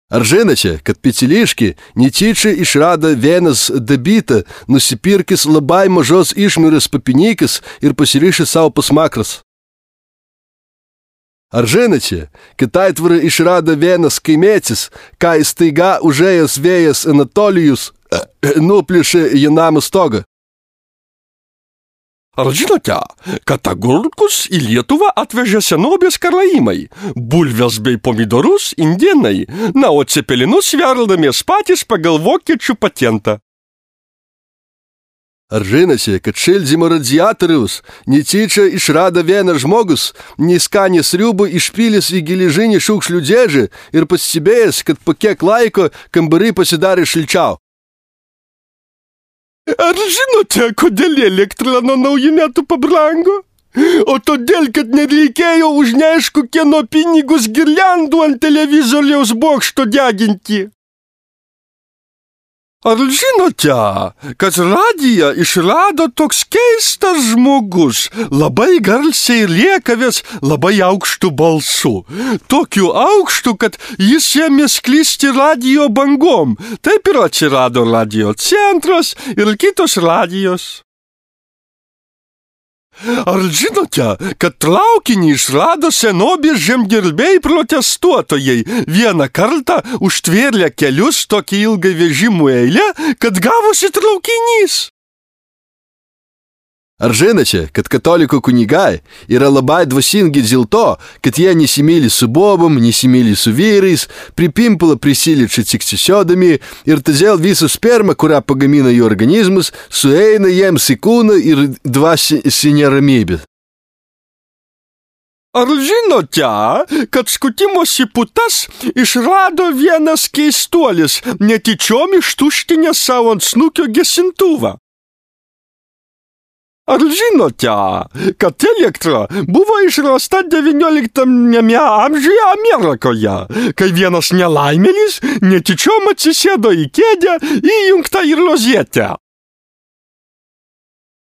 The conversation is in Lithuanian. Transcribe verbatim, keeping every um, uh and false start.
Ar žinote, kad Piciliški netyčia išrado vienas dabitą, nusipirkęs labai mažos išmirės papinykis ir pasirišęs savo pasmakras? Ar žinote, kad aitvarą išrado vienas kaimietis, kai staiga užėjęs vėjas Anatolijus nuplėšė į namą stogą? Ar žinote, kad agurkus į Lietuvą atvežė senovės karaimai, bulves bei pomidorus indėnai, na, o cepelinus verdamės patys pagal vokiečių patentą? Ar žinote, kad šildymo radiatorius netyčia išrado vienas žmogus, neskanės sriubą išpylęs į geležinį šiukšlių dėžę ir pastebėjęs, kad po kiek laiko kambariai pasidarė šilčiau? Ar žinote, kodėl elektra nuo naujų metų pabrango? O todėl, kad nereikėjo už neaišku kieno pinigus girliandų ant televizoriaus bokšto deginti. Ar žinote, kad radiją išrado toks keistas žmogus, labai garsiai rėkavęs labai aukštu balsu. Tokiu aukštu, kad jis ėmė sklisti radijo bangom. Taip ir atsirado radijo centras ir kitos radijos. Ar žinote, kad traukinį išrado senovės žemdirbiai protestuotojai? Vieną kartą užtvėrė kelius tokį ilgą vežimų eilę, kad gavosi traukinys. Ar žinote, kad katalikų kunigai yra labai dvasingi dėl to, kad jie nesimyli su bobom, nesimyli su vyrais, pripimpalą prisiliečia tik sisiodami ir todėl visa sperma, kurią pagamina jų organizmas, sueina jiems į kūną ir dvasinę ramybę? Ar žinote, kad skutimosi putas išrado vienas keistuolis, netyčiom ištuštinęs savo ant snukio gesintuvą? Ar žinote, kad elektra buvo išrasta devynioliktame amžiuje Amerikoje, kai vienas nelaimėlis netyčiom atsisėdo į kėdę įjungtą į rozetę?